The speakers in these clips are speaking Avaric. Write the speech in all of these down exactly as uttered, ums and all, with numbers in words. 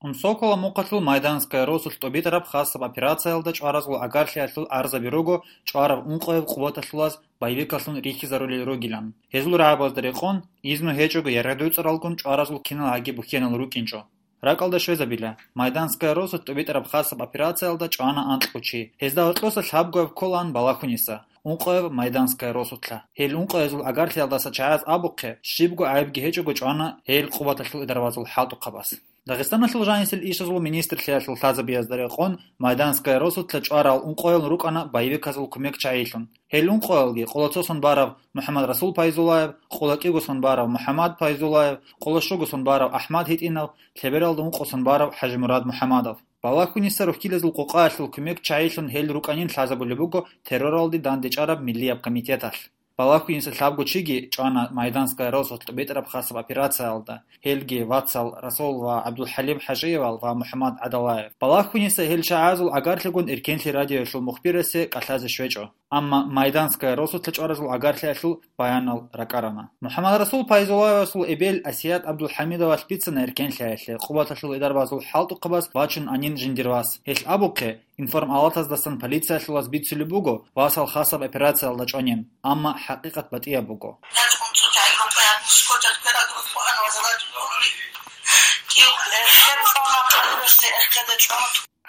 Унсокола мухъалъул Майданская росулъ тӀубитӀараб хасаб операциялда чӀваразул агарлъиялъул арзаби руго чӀвараб ункъояб къуваталъулаз боевикалъун рихьизарулел ругилан. Гьезул рагӀабазда рекъон, изну гьечӀого яргъи-дуцӀаралгун чӀваразул кинал гьаги бухьенал рукӀинчӀо. РакӀалда щвезабила, Майданская росулъ тӀубитӀараб хасаб операциялда чӀвана анкьго чи. Гьезда гьоркьоса лъабгояб кколаан Балахуниса, ункъояб Майданская росулъа. Гьел ункъоязул агарлъиялдаса чагӀаз абухъе, щибго гӀайибги гьечӀого чӀвана гьел къуваталъул идарбазул хӀалтӀухъабаз. Дагъистаналъул жанисел ишазул министрлъиялъул лъазабиязда рекъон Майданская росулъа чӀварал ункъоял рукӀана боевиказул кумекчагӀилъун. Гьел ункъоялги къолоцосон барав МухӀаммад Расул Пайзулаев, къоло кӀигосон барав МухӀаммад Пайзулаев, къоло щугосон барав АхӀмад ГьитӀинав, лъебералда ункъосон барав ХӀажимурад МухӀаммадов. Балахуниса рухьилазул къокъаялъул кумекчагӀилъун гьел рукӀанин лъазабулеб буго терроралде дандечӀараб миллияб комитеталъ. Балахуниса лъабго чиги чӀвана Майданская росулъ тӀубитӀараб хасаб операциялда, гьелги вацал Расул ва ГӀабдулхӀалим ХӀажиевал ва МухӀаммад ГӀадалаев. Балахуниса гьел чагӀазул агарлъигун Эркенлъи радиоялъул мухбирасе кӀалъазе щвечӀо. Амма Майданская росулъа чӀваразул агарлъиялъул баянал ракӀарана. МухӀаммад Расул Пайзулаевасул эбел Асият ГӀабдулхӀамидовалъ бицана Эркенлъиялъе къуваталъул идарбазул хӀалтӀухъабаз вачун анин жиндир вас. Гьелъ абухъе, информалатаздасан полициялъулаз бицулеб буго васал хасаб операциялда чӀванин, амма хӀакъикъат батӀияб буго.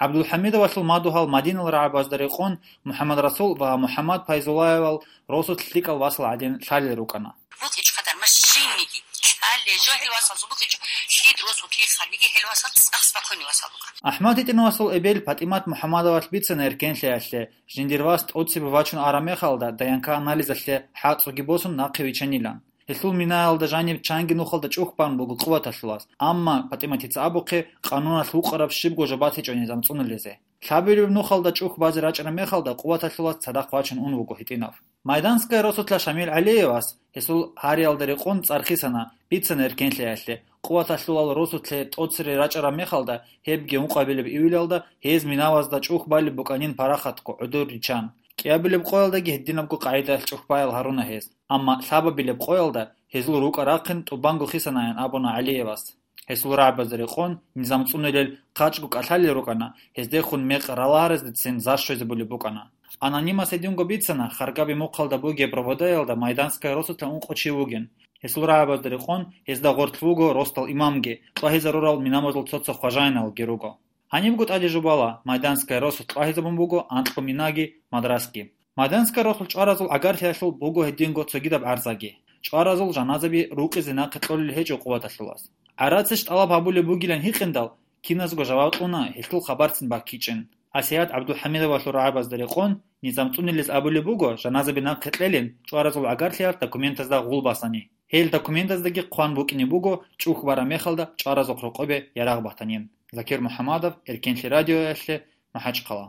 ГӀабдулхӀамидовалъул мадугьал Мадинал рагӀабазда рекъон МухӀаммад Расул ва МухӀаммад Пайзулаевал росулъ лъикӀал васал гӀадин лъалел рукӀана. БукӀичӀо хадур машиниги, кӀале, жо гьел васалзу букӀичӀо, лъид росу киханиги гьел васал цӀакъ спокойный васал буго. АхӀмад ГьитӀинавасул эбел ПатӀимат МухӀаммадовалъ бицана Эркенлъиялъе, жиндир вас тӀоцебе вачун араб мехалда ДНК анализалъе хӀацӀуги босун нахъе вичанилан. Гьелъул минаялда жаниб чанги нухалда чӀухь бан буго къуваталъулаз, амма ПатӀиматица абухъе, къануналъ вукъараб щибго жо батичӀо низам цӀунулезе. Лъабилеб нухалда чӀухь базе рачӀараб мехалда къуваталъулаз цадахъ вачун ун вуго ГьитӀинав. Майданская росулъа Шамил ГӀалиевас, гьесул гьариялда рекъон цӀар хисана, бицана Эркенлъиялъе, къуваталъулал росулъе тӀоцере рачӀараб мехалда, гьебги ункъабилеб июлялда гьез минавазда чӀухь балеб букӀанин парахатго гӀодор риччан. КӀиабилеб къоялдаги гьединабго къагӀидаялъ чӀухь баял гьаруна гьез, амма лъабабилеб къоялда гьезул рукӀа рахъин тӀубанго хисанаян абуна ГӀалиевас. Гьесул рагӀабазда рекъон низам цӀунилел хъачӀго кӀалъалел рукӀана, гьездехун мекъ ралагьараздецин зар щвезабулеб букӀана. Анонимас гьединго бицана, Харгаби мухъалда бугеб проводаялда Майданская росулъа ункъо чи вугин. Гьесул рагӀабазда рекъон гьезда гъорлъ вуго росдал имамги, тӀвагьизарурал минабазул цо-цо хважаиналги руго. Гьанибго тӀаде жубала, Майданская росулъ тӀвагьизабун буго анкьго минаги мадрасги. Майданская росулъ чӀваразул агарлъиялъул буго гьединго цогидаб гӀарзаги. ЧӀваразул жаназаби рукъизе нахъе кьолел гьечӀо къуваталъулаз. ГӀарациш тӀалаб гьабулеб бугилан гьикъиндал, киназго жаваб кьуна гьелъул хабарцин баккичӀин. Асият ГӀабдулхӀамидовалъул рагӀабазда рекъон, низам цӀунилез абулеб буго жаназаби нахъе кьелин, чӀваразул агарлъиялъ документазда гъул басани. Гьел документаздаги хъван букӀине буго чӀухь бараб мехалда чӀваразухъ рокъобе ярагъ батанин. Закир МухӀаммадов, Эркенлъи радиоялъе, МахӀачхъала.